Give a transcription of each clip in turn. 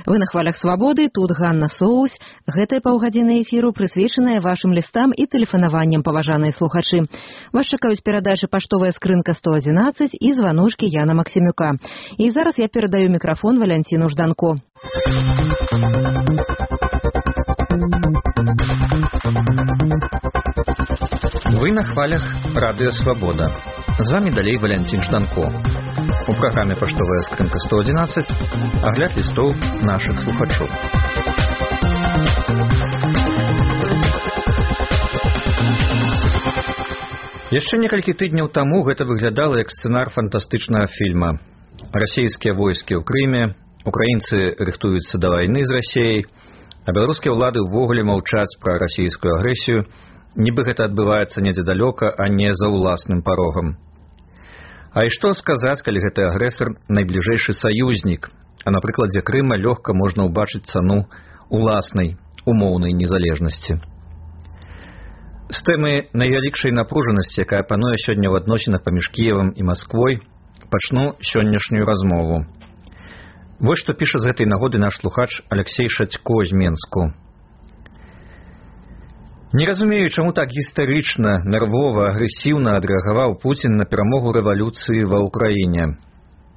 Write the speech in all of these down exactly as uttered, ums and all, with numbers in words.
Вы на хвалях свабоды, тут Ганна Соус. Гэтая паўгадзіны эфіру прысвечаная вашым лістам і тэлефанаванням, паважаныя слухачы. Вас чакаюць перадачы паштовая скрынка сто адзінаццаць і званочкі Яна Максімюка. І зараз я перадаю мікрафон Валянціну Жданко. Вы на хвалях радыё Свабода. З вами далей Валянцін Жданко. У праграме паштовая скрынка сто адзінаццаць агляд лістоў нашых слухачоў. Яшчэ некалькі тыдняў таму гэта выглядала як сцэнар фантастычнага фільма. Расійскія войскі ў Крыме, украінцы рыхтуюцца да вайны з Расіяй, а беларускія ўлады ўвогуле маўчаць пра расійскую агрэсію, нібы гэта адбываецца недзе далёка, а не за ўласным парогам. А і што сказаць, калі гэты агрэсар найбліжэйшы саюзнік, а на прыкладзе Крыма лёгка можна ўбачыць цану уласнай умоўнай незалежнасці. З тэмы найвялікшай напружанасці, якая пануе сёння ў адносінах паміж Кіевам і Масквой, пачну сённяшнюю размову. Вось што піша з гэтай нагоды наш слухач Алексей Шацько з Менску. Не разумею, чаму так гістарычна, нервова, агрэсіўна адрэагаваў Пуцін на перамогу рэвалюцыі ва ўкраіне.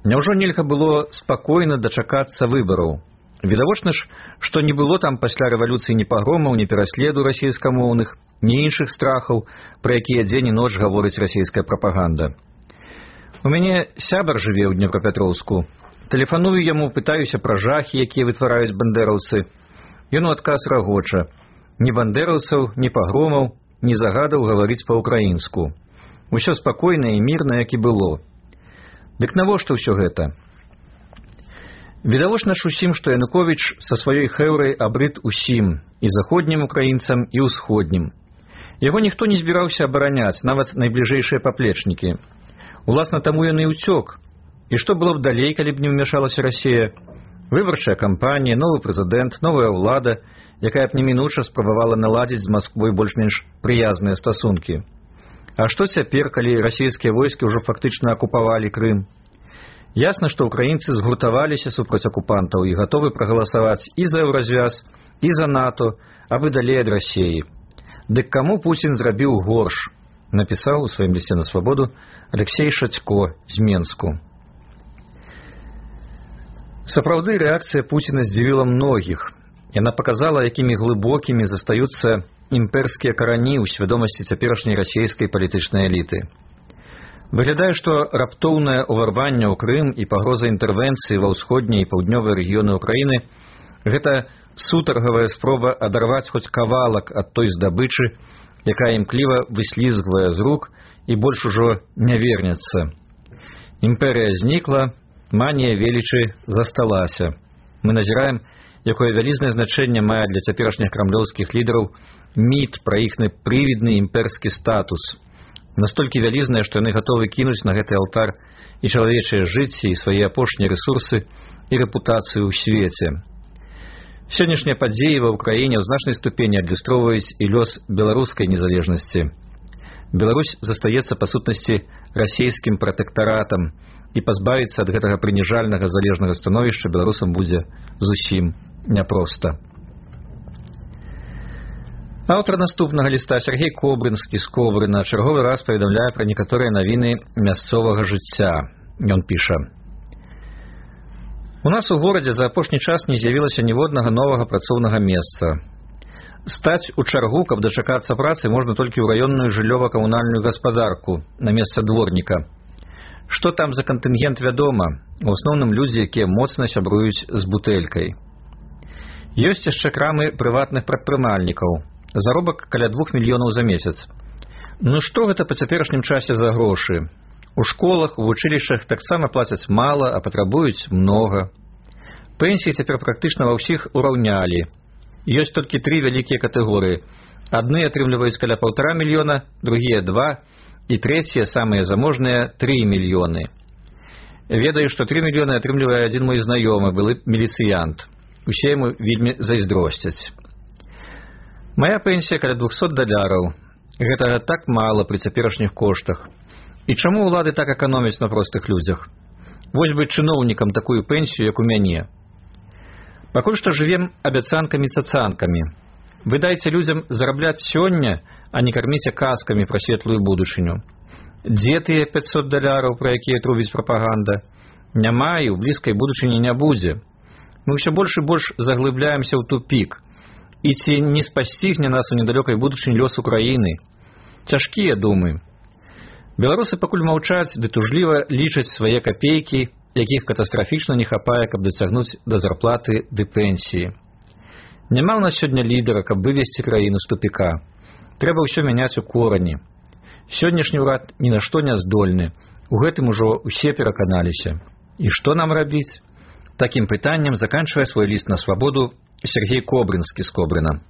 Няўжо нельга было спакойна дачакацца выбараў? Відавочна ж, што не было там пасля рэвалюцыі ні пагромаў, ні пераследу расійскамоўных, ні іншых страхаў, пра якія дзень і ноч гаворыць расійская прапаганда. У мяне сябар жыве ў Днепрапетроўску. Тэлефаную яму, пытаюся пра жахі, якія вытвараюць бандэраўцы. Ён у адказ рагоча. Ні бандэраўцаў, ні пагромаў, ні загадаў гаварыць па-ўкраінску. Усё спакойна і мірна, як і было. Дык навошта ўсё гэта? Відавочна ж усім, што Януковіч са сваёй хэўрай абрыд усім, і заходнім украінцам, і ўсходнім. Яго ніхто не збіраўся абараняць, нават найбліжэйшыя паплечнікі. Уласна таму ён і ўцёк. І што было б далей, калі б не ўмяшалася Расія? Выбарчая кампанія, новы прэзідэнт, новая ўлада, якая б немінуча спрабавала наладзіць з Масквой больш-менш прыязныя стасункі. А што цяпер, калі расійскія войскі ўжо фактычна акупавалі Крым? Ясна, што ўкраінцы згуртаваліся супраць акупантаў і гатовы прагаласаваць і за еўразвяз, і за НАТО, абы далей ад Расіі. Дык каму Пуцін зрабіў горш? Напісаў у сваім лісце на Свабоду Алексей Шацько з Менску. Сапраўды, рэакцыя Пуціна здзівіла многіх. Яна паказала, якімі глыбокімі застаюцца імперскія карані ў свядомасці цяперашняй расійскай палітычнай эліты. Выглядае, што раптоўнае ўварванне ў Крым і пагроза інтэрвенцыі ва ўсходнія і паўднёвыя рэгіёны ўкраіны – гэта сутаргавая спроба адарваць хоць кавалак ад той здабычы, якая імкліва выслізгвае з рук і больш ужо не вернецца. Імперыя знікла, манія велічы засталася. Мы назіраем, якое вялізнае значэнне мае для цяперашніх крамлёўскіх лідараў міт пра іхны прывідны імперскі статус. Настолькі вялізнае, што яны гатовы кінуць на гэты алтар і чалавечыя жыцці, і свае апошнія рэсурсы, і рэпутацыю ў свеце. Сённяшнія падзеі ва ўкраіне ў значнай ступені адлюстроўваюць і лёс беларускай незалежнасці. Беларусь застаецца, па сутнасці, расійскім пратэктаратам, і пазбавіцца ад гэтага прыніжальнага залежнага становішча беларусам будзе зусім няпроста. Аўтар наступнага ліста Сергей Кобрынскі з Коврына чарговы раз паведамляе пра некаторыя навіны мясцовага жыцця. Ён піша: У нас у горадзе за апошні час не з'явілася ніводнага новага працоўнага месца. Стаць у чаргу, каб дачакацца працы, можна толькі ў раённую жыллёва-камунальную гаспадарку на месца дворніка. Што там за кантынгент, вядома, у асноўным людзі, якія моцна сябруюць з бутэлькай. Ёсць яшчэ крамы прыватных прадпрымальнікаў. Заробак каля двух мільёнаў за месяц. Ну што гэта па цяперашнім часе за грошы? У школах, у вучылішчах таксама плацяць мала, а патрабуюць многа. Пенсіі цяпер практычна ва ўсіх ураўнялі. Ёсць толькі тры вялікія катэгорыі. Адны атрымліваюць каля паўтара мільёна, другія два, і трэція, самыя заможныя, тры мільёны. Ведаю, што тры мільёны атрымлівае адзін мой знаёмы, былы міліцыянт. Усе яму вельмі зайздросцяць. Мая пенсія каля двухсот даляраў. Гэтага так мала пры цяперашніх коштах. І чаму ўлады так эканомяць на простых людзях? Вось бы чыноўнікам такую пенсію, як у мяне. Пакуль што жывем абяцанкамі-цацанкамі. Вы дайце людзям зарабляць сёння, а не карміце казкамі пра светлую будучыню. Дзе тыя пяцьсот даляраў, пра якія трубіць прапаганда? Няма і ў блізкай будучыні не будзе. Мы ўсё больш і больш заглыбляемся ў тупік. І ці не спасцігне нас у недалёкай будучыні лёс Украіны? Цяжкія думы. Беларусы пакуль маўчаць, ды тужліва лічаць свае капейкі, якіх катастрафічна не хапае, каб дацягнуць да зарплаты ды пенсіі. Няма ў нас сёння лідара, каб вывесці краіну з тупіка. Трэба ўсё мяняць у корані. Сённяшні ўрад ні на што не здольны. У гэтым ужо ўсе пераканаліся. І што нам рабіць? Такім пытаннем заканчвае свой ліст на свабоду Сергей Кобрынскі з Кобрына.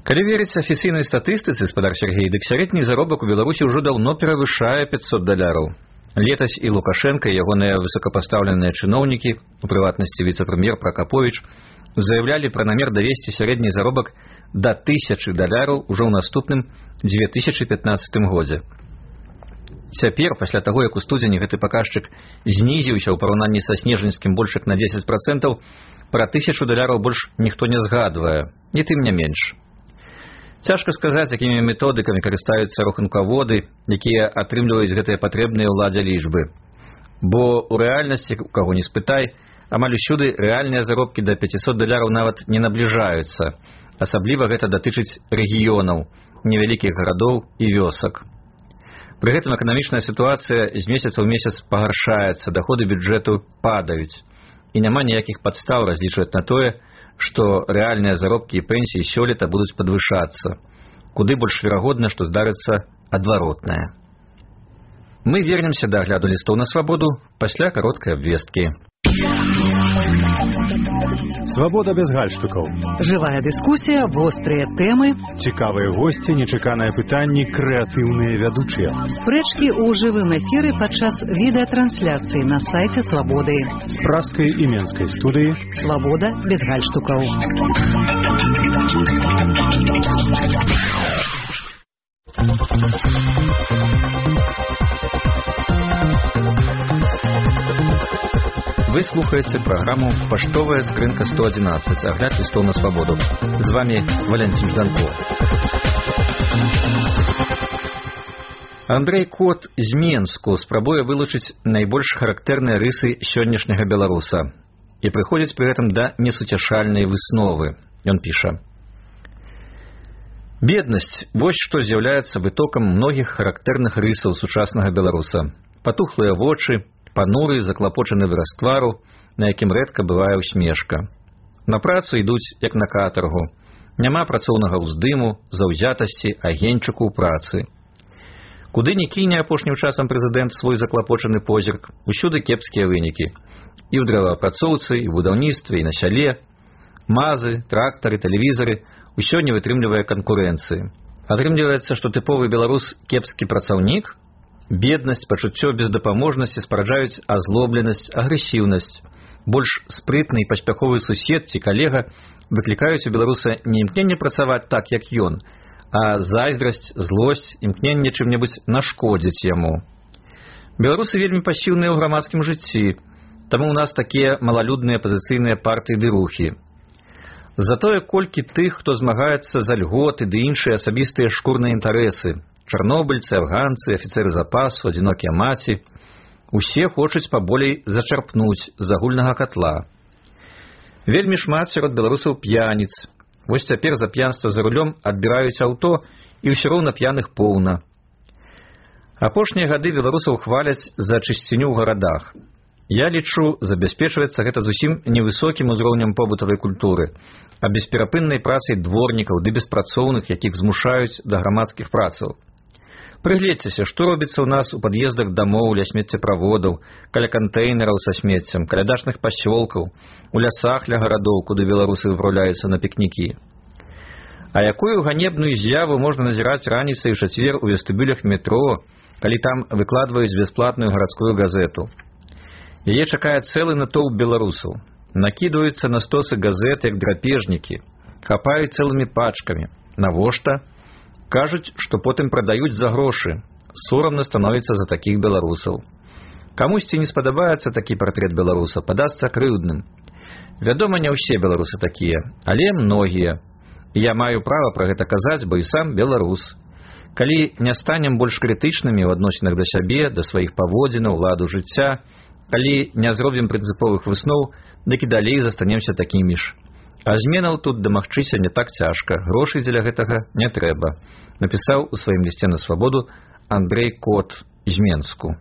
Калі верыць афіцыйнай статыстыцы, спадар Сергей, дык сярэдні заробак у Беларусі ўжо даўно перавышае пяцьсот даляраў. Летась і Лукашенко, і ягоныя высокапастаўленыя чыноўнікі, у прыватнасці віцэ-прэм'ер Пракаповіч, заявлялі пра намер давесці сярэдні заробак да тысячы даляраў ужо ў наступным дзве тысячы пятнаццатым годзе. Цяпер, пасля таго, як у студзені гэты паказчык знізіўся ў параўнанні са снежаньскім больш як на дзесяць працэнтаў, пра тысячу даляраў больш ніхто не згадвае, не тым не менш. Цяжка сказаць, якімі методыкамі карыстаюцца рахункаводы, якія атрымліваюць гэтыя патрэбныя ўладзе лічбы. Бо ў рэальнасці, у каго не спытай, амаль усюды рэальныя заробкі да пяцісот даляраў нават не набліжаюцца. Асабліва гэта датычыць рэгіёнаў, невялікіх гарадоў і вёсак. Пры гэтым эканамічная сітуацыя з месяца ў месяц пагаршаецца, даходы бюджэту падаюць. І няма ніякіх падстаў разлічваць на тое, што рэальныя заробкі і пенсіі сёлета будуць падвышацца. Куды больш верагодна, што здарыцца адваротнае. Мы вернемся да агляду лістоў на свабоду пасля кароткай абвесткі. Свабода без гальштукаў. Жывая дыскусія, вострыя тэмы, Цікавыя госці, нечаканыя пытанні, крэатыўныя вядучыя. спрэчкі ў жывым эфіры падчас відэатрансляцыі на сайце Свабоды. З праскай і менскай студыі. Свабода без гальштукаў. Вы слухаеце праграму «Паштовая скрынка сто адзінаццаць», агляд лістоў на свабоду. З вами Валентин Жданко. Андрей Кот з Менску спрабуе вылучыць найбольш характэрныя рысы сённяшняга беларуса і прыходзіць пры гэтым да несуцяшальнай высновы. Ён піша: «Беднасць – вось што з'яўляецца вытокам многіх характэрных рысаў сучаснага беларуса. Патухлыя вочы, пануры, заклапочаны выраз твару, на якім рэдка бывае усмешка. На працу ідуць, як на катаргу. Няма працоўнага ўздыму, заўзятасці, агеньчыку ў працы. Куды ні кіне апошнім часам прэзідэнт свой заклапочаны позірк, усюды кепскія вынікі. І ў дрэваапрацоўцы, і ў будаўніцтве, і на сяле. Мазы, трактары, тэлевізары – усё не вытрымлівае канкурэнцыі. Атрымліваецца, што тыповы беларус кепскі працаўнік? Беднасць, пачуццё бездапаможнасці спараджаюць азлобленасць, агрэсіўнасць. Больш спрытны і паспяховы сусед ці калега выклікаюць у беларуса не імкненне працаваць так, як ён, а зайздрасць, злосць, імкненне чым-небудзь нашкодзіць яму. Беларусы вельмі пасіўныя ў грамадскім жыцці, таму ў нас такія малалюдныя пазіцыйныя партыі ды рухі. Затое колькі тых, хто змагаецца за льготы ды іншыя асабістыя шкурныя інтарэсы, чарнобыльцы, афганцы, афіцэры запасу, адзінокія маці, усе хочуць паболей зачарпнуць з агульнага катла. Вельмі шмат сярод беларусаў п'яніц. Вось цяпер за п'янства за рулём адбіраюць аўто, і ўсё роўна п'яных поўна. Апошнія гады беларусаў хваляць за чысціню ў гарадах. Я лічу, забяспечваецца гэта зусім невысокім узроўнем побытавай культуры, а бесперапыннай працай дворнікаў ды беспрацоўных, якіх змушаюць да грамадскіх працаў. Прыгледзьцеся, што робіцца ў нас у пад'ездах дамоў, ля смеццеправодаў, каля кантэйнераў са смеццем, каля дачных пасёлкаў, у лясах ля гарадоў, куды беларусы выпраўляюцца на пікнікі. А якую ганебную з'яву можна назіраць раніцай у чацвер у вестыбюлях метро, калі там выкладваюць бясплатную гарадскую газету? Яе чакае цэлы натоўп беларусаў. Накідваюцца на стосы газет, як драпежнікі, хапаюць цэлымі пачкамі. Навошта? Кажуць, што потым прадаюць за грошы. Сорамна становіцца за такіх беларусаў. Камусьці не спадабаецца такі партрэт беларуса, падасца крыўдным. Вядома, не ўсе беларусы такія, але многія. І я маю права пра гэта казаць, бо і сам беларус. Калі не станем больш крытычнымі ў адносінах да сябе, да сваіх паводзінаў, ладу жыцця, калі не зробім прынцыповых высноў, дык і далей застанемся такімі ж. А зменаў тут дамагчыся не так цяжка, грошай дзеля гэтага не трэба, напісаў у сваім лісце на свабоду Андрэй Кот з Менску.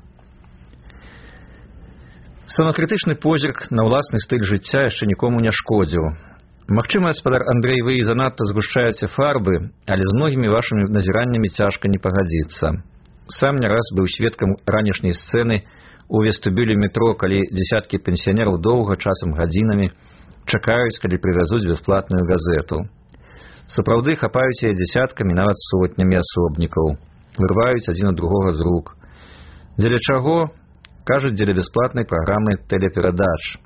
Самакрытычны позірк на ўласны стыль жыцця яшчэ нікому не шкодзіў. Магчыма, гаспадар Андрэй, вы і занадта згушчаеце фарбы, але з многімі вашымі назіраннямі цяжка не пагадзіцца. Сам не раз быў сведкам ранішняй сцэны у вестыбюлі метро, калі дзесяткі пенсіянераў доўга, часам гадзінамі, чакаюць, калі прывязуць бясплатную газету. Сапраўды хапаюць яе дзесяткамі, нават сотнямі асобнікаў, вырваюць адзін ад другога з рук. Дзеля чаго? Кажуць, дзеля бясплатнай праграмы тэлеперадач.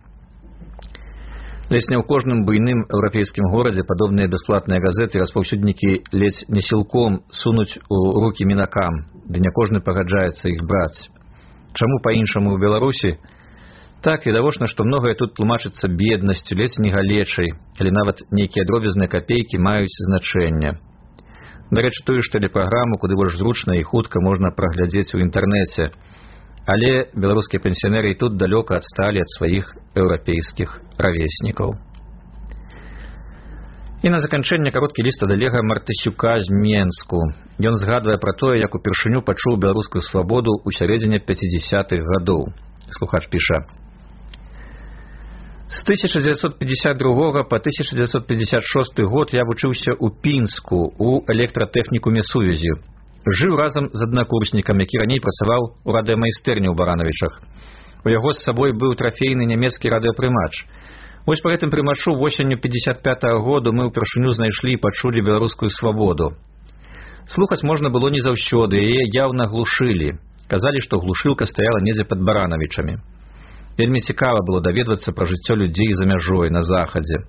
Ледзь не ў кожным буйным еўрапейскім горадзе падобныя бясплатныя газеты распаўсюднікі ледзь не сілком сунуць у рукі мінакам, ды не кожны пагаджаецца іх браць. Чаму па-іншаму ў Беларусі? Так, відавочна, што многае тут тлумачыцца беднасцю, ледзь не галечай, але нават нейкія дробязныя капейкі маюць значэнне. Дарэчы, тую ж тэлепраграму, куды больш зручна і хутка можна праглядзець у інтэрнэце. Але беларускія пенсіянеры і тут далёка адсталі ад сваіх еўрапейскіх равеснікаў. І на заканчэнне кароткі ліст ад Олега Мартысюка з Менску. Ён згадвае пра тое, як упершыню пачуў беларускую свабоду ў сярэдзіне пяцідзясятых гадоў. Слухач піша: С тысяча девятьсот пятьдесят другого по тысяча девятьсот пятьдесят шестой год я вучыўся ў Пінску у электратэхнікуме сувязі. Жыў разам з аднакурснікам, які раней працаваў у радыёмайстэрні ў Баранавічах. У яго з сабой быў трафейны нямецкі радыёпрымач. Вось па гэтым прымачу восенню пятьдесят пятого году мы ўпершыню знайшлі і пачулі беларускую свабоду. Слухаць можна было не заўсёды, яе яўна глушылі. Казалі, што глушылка стаяла недзе пад Баранавічамі. Вельмі цікава было даведвацца пра жыццё людзей за мяжой, на захадзе.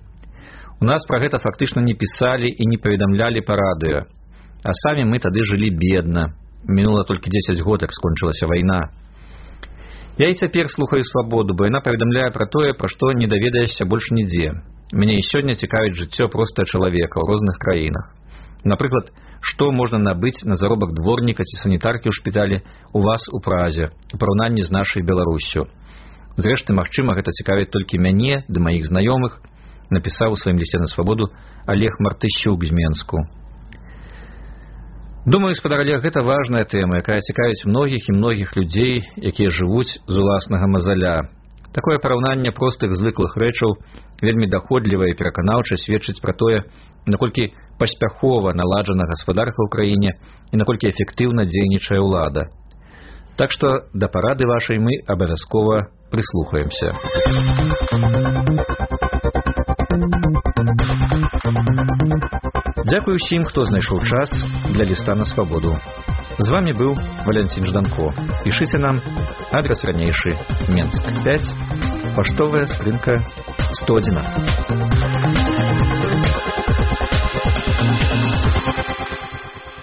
У нас пра гэта фактычна не пісалі і не паведамлялі па радыё. А самі мы тады жылі бедна. Мінула толькі дзесяць год, як скончылася вайна. Я і цяпер слухаю свабоду, бо яна паведамляе пра тое, пра што не даведаешся больш нідзе. Мяне і сёння цікавіць жыццё проста чалавека ў розных краінах. Напрыклад, што можна набыць на заробак дворніка ці санітаркі ў шпіталі у вас у Празе, у параўнанні з нашай Беларуссю. Зрэшты, магчыма, гэта цікавіць толькі мяне ды маіх знаёмых, напісаў у сваім лісце на свабоду Олег Мартысюк з Менску. Думаю, гаспадар Олег, гэта важная тэма, якая цікавіць многіх і многіх людзей, якія жывуць з уласнага мазаля. Такое параўнанне простых звыклых рэчаў вельмі даходліва і пераканаўча сведчыць пра тое, наколькі паспяхова наладжана гаспадарка ў краіне і наколькі эфектыўна дзейнічае ўлада. Так што да парады вашай мы абавязкова прыслухаемся. Дзякуй усім, хто знайшоў час для ліста на свабоду. З вами быў Валянцін Жданко. Пішыце нам, адрес ранейшы, Менск пять, паштовая скрынка сто одиннадцать.